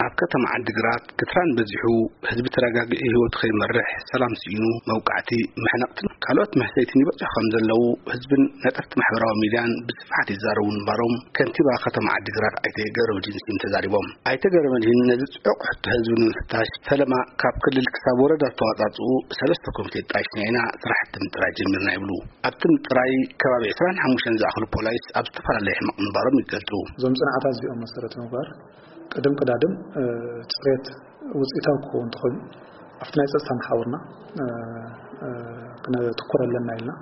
ኣብ ከተማ ዓዲግራት ክትራን በዚሑ፣ ህዝቢ ተረጋጊኡ ህይወቱ ከይመርሕ፣ ሰላም ስኢኑ መውቃዕቲ፣ መሕነቕትን ካልኦት መህሰይትን ይበፅሑ ከም ዘለዉ ህዝብን ነጠፍቲ ማሕበራዊ ሚድያን ብስፍሓት ይዛረቡ ምንባሮም ከንቲባ ከተማ ዓዲግራት ኣይተ ገረመድህን ስዩም ተዛሪቦም። ኣይተ ገረመድህን ነዚ ጽዑቕ ሕቶ ህዝቢ ንምፍታሽ ፈለማ ካብ ክልል ክሳብ ወረዳ ዝተዋጻጽኡ ሰለስተ ኮሚቴ ጣይሽና ኢና ስራሕቲ ምጥራይ ጀሚርና ይብሉ። ኣብቲ ምጥራይ ከባቢ ዕስራን ሓሙሽተን ዝኣኽሉ ፖላይስ ኣብ ዝተፈላለየ ሕመቕ ምንባሮም ይገልጹ። እዞም ጽንዓታት እዚኦም መሰረት ምግባር ቅድም ቅዳድም፣ እ፣ ጽሬት ውጽኢታዊ ክኸውን እንተኾይኑ ኣብቲ ናይ ጸጥታ መሓውርና፣ እ፣ እ፣ ክነትኩር ኣለና ኢልና፣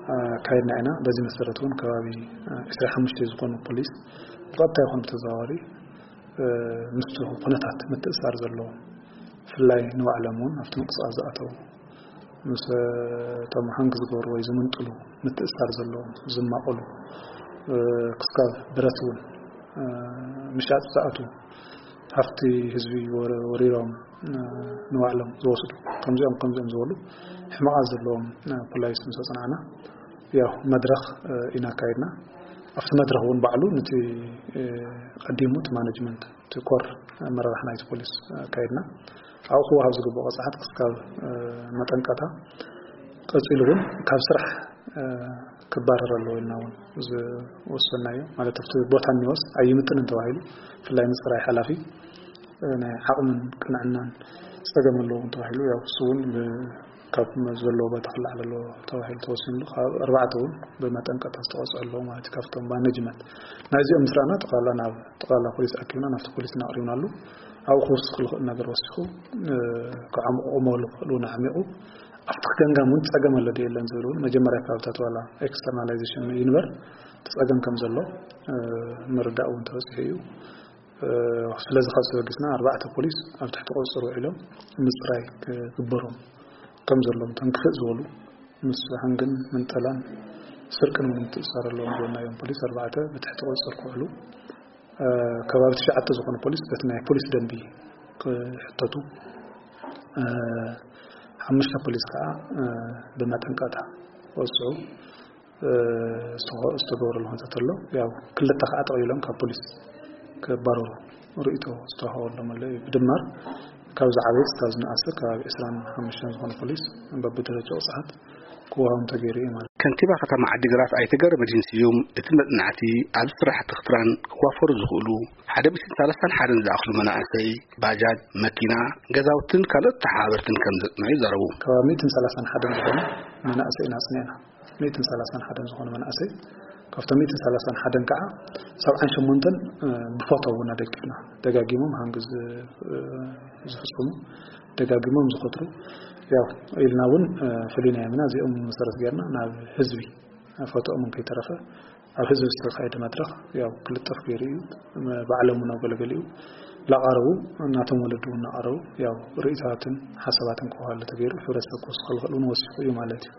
እ፣ ኣካይድና ኢና። በዚ መሰረት እውን ከባቢ፣ እ፣ ዕስራን ሓሙሽተን ዝኾኑ ፖሊስ ብቐጥታ ይኹን ብተዘዋዋሪ፣ እ፣ ምስቲ ኩነታት ምትእስሳር ዘለዎም፣ ብፍላይ ንባዕሎም እውን ኣብቲ ምንቅስቃስ ዝኣተዉ፣ ምስ፣ እ፣ እቶም ሃንግ ዝገብሩ ወይ ዝምንጥሉ ምትእስሳር ዘለዎም፣ ዝማቐሉ፣ እ፣ ክስካብ ብረት እውን፣ እ፣ ምሻጥ ዝኣትዉ፣ ሃፍቲ ህዝቢ ወረ-፣ ወሪሮም፣ እ፣ ንባዕሎም ዝወስዱ፣ ከምዚኦም ከምዚኦም ዝበሉ ሕመቓት ዘለዎም፣ እ፣ ፖላይስ ምስ ኣጽናዕና፣ ያው መድረኽ፣ እ፣ ኢና ኣካይድና። ኣብቲ መድረኽ እውን ባዕሉ ነቲ፣ እ፣ ቀዲሙ እቲ ማኔጅመንት፣ እቲ ኮር ኣመራርሓ ናይቲ ፖሊስ ኣካይድና። ኣብኡ ክወሃብ ዝግብኦ ቅጽዓት ክስካብ፣ እ፣ መጠንቀታ፣ ቀጺሉ እውን ካብ ስራሕ፣ እ፣ ክባረር ኣለዎ ኢልና እውን ዝወሰናዮ። ማለት ኣብቲ ቦታ እኒኦስ ኣይምጥንን ተባሂሉ፣ ብፍላይ ንጽራይ ሓላፊ፣ እ፣ ናይ ዓቕምን ቅንዕናን ጸገም ኣለዎም ተባሂሉ፣ ያው እሱ እውን ብ-፣ ካብ ዘለዎ ቦታ ክለዓል ኣለዎ ተባሂሉ ተወሲኑሉ፣ ካብ ኣርባዕተ እውን ብመጠንቀታ ዝተቐጽዑ ኣለዉ ማለት እዩ። ካብቶም ማኔጅመንት ናይዚኦም ምስ ረኣና፣ ጠቕላላ ናብ ጠቕላላ ፖሊስ ኣኪብና፣ ናብቲ ፖሊስ እናቕሪብናሉ፣ ኣብኡ ክውስኽ ዝኽእል ነገር ወሲኹ፣ እ፣ ክዓምቑ ክመሉ ክኽእሉ እውን ኣዕሚቑ፣ ኣብቲ ክገምጋም እውን ጸገም ኣሎ ድዩ የለን ዝብል እውን መጀመርያ ከባብታት ዋላ ኤክስተርናላይዜሽን ይንበር፣ እቲ ጸገም ከም ዘሎ፣ እ፣ ምርዳእ እውን ተበጺሑ እዩ። እ፣ ስለዚ ካብ ተበጊስና ኣርባዕተ ፖሊስ ኣብ ትሕቲ ቁጽጽር ውዒሎም ምጽራይ ክግበሮም ከም ዘለዎም፣ እቶም ክፍእ ዝበሉ ምስ ሃንግን ምንጠላን ስርቅን እውን ምትእስሳር ኣለዎም ዝበልናዮም ፖሊስ ኣርባዕተ ብትሕቲ ቁጽጽር ክውዕሉ፣ እ፣ ከባቢ ትሽዓተ ዝኾኑ ፖሊስ በቲ ናይ ፖሊስ ደንቢ ክሕተቱ፣ እ፣ ሓሙሽተ ፖሊስ ከዓ፣ እ፣ ብመጠንቀቕታ ክወስዑ እ፣ ዝተኸ-፣ ዝተገበረሉ ኩነታት ኣሎ። ያው ክልተ ከዓ ጠቕሊሎም ካብ ፖሊስ ክባረሩ ርእይቶ ዝተዋሃበሎም ኣሎ እዩ። ብድማር ካብ ዝዓበየ ክሳብ ዝነኣሰ ከባቢ ዕስራን ሓሙሽተን ዝኾኑ ፖሊስ በብደረጃ ቅፅዓት ክወሃቦም ተገይሩ እዩ ማለት እዩ። ከንቲባ ከተማ ዓዲግራት ኣይተ ገረመድህን ስዩም፣ እቲ መጽናዕቲ ኣብ ስራሕቲ ክትራን ክዋፈሩ ዝኽእሉ ሓደ ሚእትን ሰላሳን ሓደን ዝኣኽሉ መናእሰይ፣ ባጃጅ፣ መኪና፣ ገዛውትን ካልኦት ተሓባበርትን ከም ዘጽንዑ ይዛረቡ። ከባቢ ሚእትን ሰላሳን ሓደን ዝኾኑ መናእሰይ ኢና ኣጽኒዕና። ሚእትን ሰላሳን ሓደን ዝኾኑ መናእሰይ፣ ካብቶም ሚእትን ሰላሳን ሓደን ከዓ ሰብዓን ሸሞንተን፣ እ፣ ብፎቶ እውን ኣደጊፍና። ደጋጊሞም ሃንግ ዝ-፣ እ፣ ዝፍጽሙ፣ ደጋጊሞም ዝኸትሩ፣ ያው ኢልና እውን፣ እ፣ ፈሊናዮም ኢና። እዚኦም መሰረት ጌርና ናብ ህዝቢ ፎቶኦም እውን ከይተረፈ ኣብ ህዝቢ ዝተኻየደ መድረኽ ያው ክልጠፍ ገይሩ እዩ። ባዕሎም እውን ኣብ ገለገሊኡ ላቐረቡ፣ እናቶም ወለዱ እውን እናቐረቡ ያው ርእይታትን ሓሳባትን ክወሃሉ ተገይሩ፣ ሕብረተሰብ ክወስኸሉ ክኽእል እውን ወሲኹ እዩ ማለት እዩ።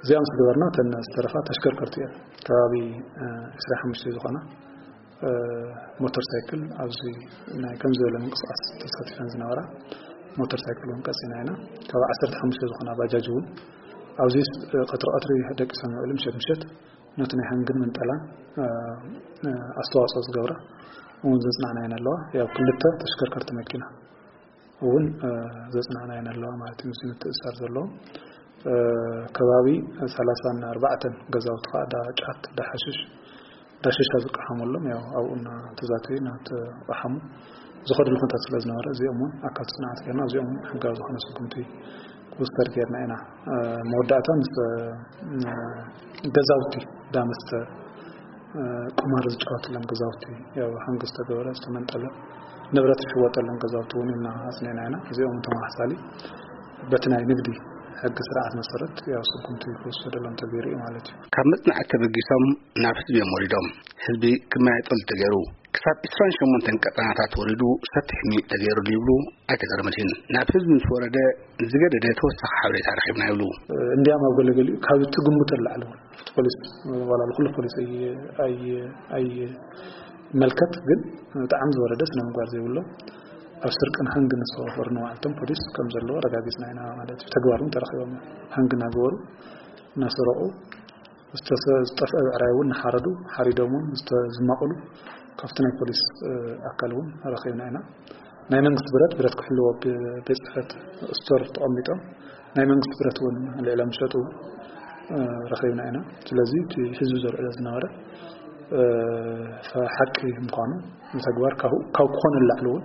እዚኣ ምስ ገበርና እተን ዝተረፋ ተሽከርከርቲ እየን። ከባቢ፣ እ፣ ዕስራን ሓሙሽተን ዝኾና፣ እ፣ ሞተር ሳይክል ኣብዚ ናይ ከምዚ ዝበለ ምንቅስቃስ ተሳቲፈን ዝነበራ ሞተር ሳይክል እውን ቀፂና ኢና። ካብ ዓሰርተ ሓሙሽተ ዝኾና ባጃጅ እውን ኣብዚ፣ እ፣ ቀትሪ ቀትሪ ደቂሰን ውዕሊ ምሸት ምሸት ነቲ ናይ ሃንግን ምንጠላን፣ እ፣ እ፣ ኣስተዋፅኦ ዝገብራ እውን ዘፅናዕና እየን ኣለዋ። ያው ክልተ ተሽከርከርቲ መኪና እውን፣ እ፣ ዘጽናዕና እየን ኣለዋ ማለት እዩ። ምስ ምትእስሳር ዘለዎም፣ እ፣ ከባቢ ሰላሳን ኣርባዕተን ገዛውቲ ከዓ እንዳ ጫት፣ እንዳ ሓሽሽ፣ እንዳ ሽሻ ዝቀሓመሎም፣ ያው ኣብኡ እናተዛተዩ እናተቐሓሙ ዝኸድሉ ኩነታት ስለ ዝነበረ፣ እዚኦም እውን ኣካል ጽንዓት ጌርና፣ እዚኦም እውን ሕጋዊ ዝኾነ ስጉምቲ ክውሰድ ጌርና ኢና። እ፣ መወዳእታ ምስ፣ እ፣ ገዛውቲ፣ እንዳ መስተ፣ ቁማር ዝጫወትሎም ገዛውቲ፣ ያው ሃንግ ዝተገበረ፣ ዝተመንጠለ፣ ንብረት ዝሽወጠሎም ገዛውቲ እውን ኢና ኣጽኒዕና ኢና። እዚኦም ተመሳሳሊ በቲ ናይ ንግዲ ሕጊ ስርዓት መሰረት ያው ስጉምቲ ክውሰደሎም ተገይሩ እዩ ማለት እዩ። ካብ መጽናዕቲ ተበጊሶም ናብ ህዝቢ እዮም ወሪዶም። ህዝቢ ክመያየጠሉ ተገይሩ። ክሳብ ዕስራን ሸሞንተን ቀጠናታት ወሪዱ ሰፊሕ ምይይጥ ተገይሩሉ ይብሉ ኣይተ ገረመድህን። ናብ ህዝቢ ምስ ወረደ ዝገደደ ተወሳኺ ሓበሬታ ረኺብና ይብሉ። እንዲያም ኣብ ገለገሊኡ ካብ ትግምቶ ንላዕሊ እውን እቲ ፖሊስ፣ ዋላ ኩሉ ፖሊስ ኣይ-፣ ኣይ-፣ ኣይመልከት፣ ግን ብጣዕሚ ዝወረደ ስነ ምግባር ዘይብሎም ኣብ ስርቅን ሃንግን ዝተዋፈሩ ንባዕልቶም ፖሊስ ከም ዘለዎ ኣረጋጊጽና ኢና ማለት እዩ። ተግባር እውን ተረኺቦም እዮም። ሃንግ እናገበሩ እናሰረቑ ዝተሰ-፣ ዝጠፍአ ብዕራይ እውን ንሓረዱ፣ ሓሪዶም እውን ዝተ-፣ ዝማቕሉ ካብቲ ናይ ፖሊስ፣ እ፣ ኣካል እውን ረኺብና ኢና። ናይ መንግስቲ ብረት፣ ብረት ክሕልዎ ብ-፣ ቤት ጽሕፈት ስቶር ተቐሚጦም ናይ መንግስቲ ብረት እውን ልዕሎም ዝሸጡ፣ እ፣ ረኺብና ኢና። ስለዚ እቲ ህዝቢ ዘልዕሎ ዝነበረ፣ እ፣ ሓቂ ምዃኑ ንተግባር ካብ፣ ካብ ክኾነ ንላዕሊ እውን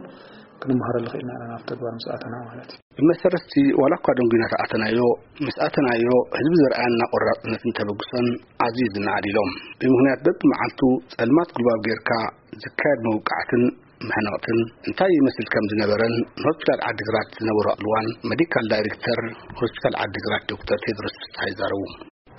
ክንመሃረሉ ክኢልና ኢና፣ ናብ ተግባር ምስ ኣተና ማለት እዩ። ብመሰረት እቲ ዋላ እኳ ደንጒና ተኣተናዮ፣ ምስ ኣተናዮ ህዝቢ ዘርኣየና ቆራጽነትን ተበግሶን ኣዝዩ ዝነኣድ ኢሎም። ብምኽንያት በብመዓልቱ ጸልማት ጉልባብ ጌርካ ዝካየድ መውቃዕትን መሕነቕትን እንታይ ይመስል ከም ዝነበረን ንሆስፒታል ዓዲግራት ዝነበሩ ኣልዋን ሜዲካል ዳይሬክተር ሆስፒታል ዓዲግራት ዶክተር ቴድሮስ ፍስሓ ይዛረቡ።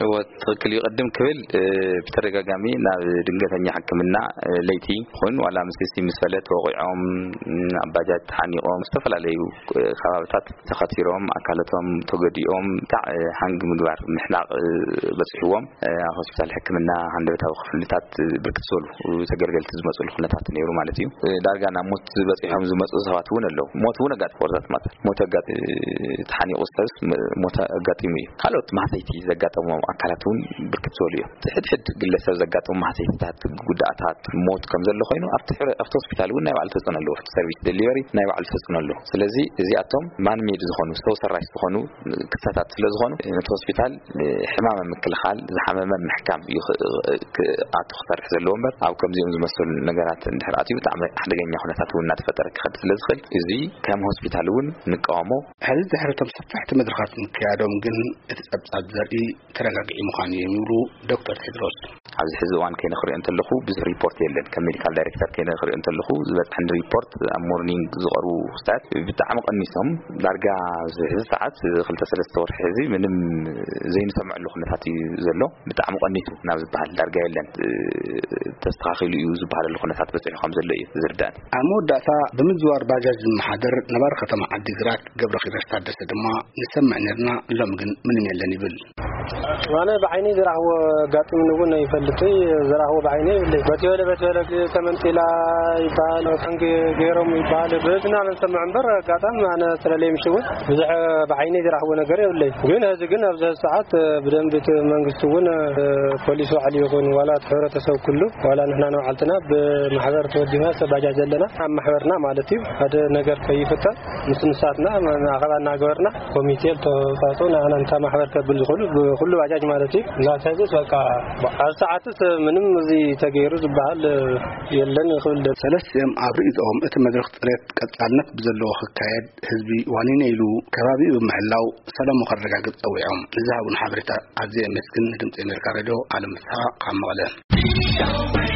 እወ፣ ትኽክል እዩ። ቅድም ክብል፣ እ፣ ብተደጋጋሚ ናብ ድንገተኛ ሕክምና፣ እ፣ ለይቲ ይኹን ዋላ ምስቲ ምስ ፈለ ተወቒዖም፣ እ፣ ኣብ ባጃጅ ተሓኒቖም፣ ዝተፈላለዩ፣ እ፣ ከባብታት ተኸቲሮም፣ ኣካላቶም ተጎዲኦም፣ ብጣዕ፣ እ፣ ሃንግ ምግባር፣ ምሕናቕ፣ እ፣ በፂሕዎም። እ፣ ኣብ ሆስፒታል ሕክምና ሃንደበታዊ ክፍልታት፣ እ፣ ብርክት ዝበሉ ተገልገልቲ ዝመፅሉ ኩነታት ነይሩ ማለት እዩ። እ፣ ዳርጋ ናብ ሞት በፂሖም ዝመፁ ሰባት እውን ኣለዉ። ሞት እውን ኣጋጢሙ፣ ወርዛት ማለት ሞት ኣጋጢ-፣ ተሓኒቑ ሰብስ ም-፣ ሞት ኣጋጢሙ እዩ። ካልኦት ማህሰይቲ ዘጋጠሞም ኣካላት እውን ብርክት ዝበሉ እዮም። እቲ ሕድሕድ ግለሰብ ዘጋጠሙ ማህሰይትታት፣ ጉዳኣታት፣ ሞት ከም ዘሎ ኮይኑ፣ ኣብቲ ሕረ-፣ ኣብቲ ሆስፒታል እውን ናይ ባዕሉ ተጽዕኖ ኣለዎ። ኣብቲ ሰርቪስ ደሊቨሪ ናይ ባዕሉ ተጽዕኖ ኣለዎ። ስለዚ እዚኣቶም ማንሜድ ዝኾኑ፣ ሰው ሰራሽ ዝኾኑ ክስተታት ስለ ዝኾኑ፣ ነቲ ሆስፒታል ሕማም ምክልኻል፣ ዝሓመመ ምሕካም እዩ ክ-፣ ክኣቱ ክሰርሕ ዘለዎ እምበር፣ ኣብ ከምዚኦም ዝመሰሉ ነገራት እንድሕር ኣትዩ፣ ብጣዕሚ ሓደገኛ ኩነታት እውን እናተፈጠረ ክኸድ ስለ ዝኽእል፣ እዚ ከም ሆስፒታል እውን ንቃወሞ። ሕዚ ድሕሪ እቶም ሰፋሕቲ መድረኻት ምክያዶም ግን፣ እቲ ጸብጻብ ዘርኢ ተረጋጊዑ ምዃኑ እዮም ይብሉ ዶክተር ቴድሮስ። ኣብዚ ሕዚ እዋን ከይነ ክሪኦ እንተለኹ ብዙሕ ሪፖርት የለን። ከም ሜዲካል ዳይሬክተር ከይነ ክሪኦ እንተለኹ ዝበፅሐኒ ሪፖርት ኣብ ሞርኒንግ ዝቐርቡ ክስታት ብጣዕሚ ቀኒሶም። ዳርጋ ኣብዚ ሕዚ ሰዓት ክልተ ሰለስተ ወርሒ ሕዚ ምንም ዘይንሰምዐሉ ኩነታት እዩ ዘሎ። ብጣዕሚ ቀኒሱ ናብ ዝበሃል ዳርጋ የለን። ተስተኻኺሉ እዩ ዝበሃለሉ ኩነታት በፂሑ ከም ዘሎ እዩ ዝርዳእኒ። ኣብ መወዳእታ ብምዝዋር ባጃጅ ዝመሓደር ነባሪ ከተማ ዓዲግራት ገብረኺዳሽ ታደሰ ድማ ንሰምዕ ነርና፣ ሎም ግን ምንም የለን ይብል። ኣነ ብዓይነይ ዝረኣኽዎ ኣጋጥምኒ እውን ኣይፈልጥይ። ዝረኣኽዎ ብዓይነይ የብለይ። በቲ በለ በቲ በለ ተመንጢላ ይበሃል፣ ታንክ ገይሮም ይበሃል። በዚ ኢና ንሰምዕ እምበር ኣጋጣሚ ኣነ ስለለይ ምሽ እውን ብዙሕ ብዓይነይ ዝረኣኽዎ ነገር የብለይ። ግን ሕዚ ግን ኣብዚ ሰዓት ብደንቢ እቲ መንግስቲ እውን ፖሊስ ባዕሉ ይኹን ዋላ እቲ ሕብረተሰብ ኩሉ ዋላ ንሕና ንባዕልትና ብማሕበር ተወዲና ሰብ ባጃጅ ዘለና ኣብ ማሕበርና ማለት እዩ ሓደ ነገር ከይፍጠር ምስ ንሳትና ኣኸባ እናገበርና ኮሚቴ ዝተዋፅኦ ንዓና እንታ ማሕበር ከብል ዝኽእሉ ብኩሉ ባጃጅ ማለት እዩ። እናተዘስ በቃ ኣብ ሰዓትስ ምንም እዚ ተገይሩ ዝበሃል የለን ክብል ደ-፣ ሰለስቲኦም ኣብ ርእይቶኦም እቲ መድረኽ ጽሬት ቀጻልነት ብዘለዎ ክካየድ ህዝቢ ዋኒነ ኢሉ ከባቢኡ ብምሕላው ሰላሙ ከረጋግጽ ጸዊዖም። ንዝሃቡን ሓበሬታ ኣዝየ የመስግን። ንድምጺ ኣሜሪካ ሬድዮ ኣለም ፍስሓ ካብ መቐለ።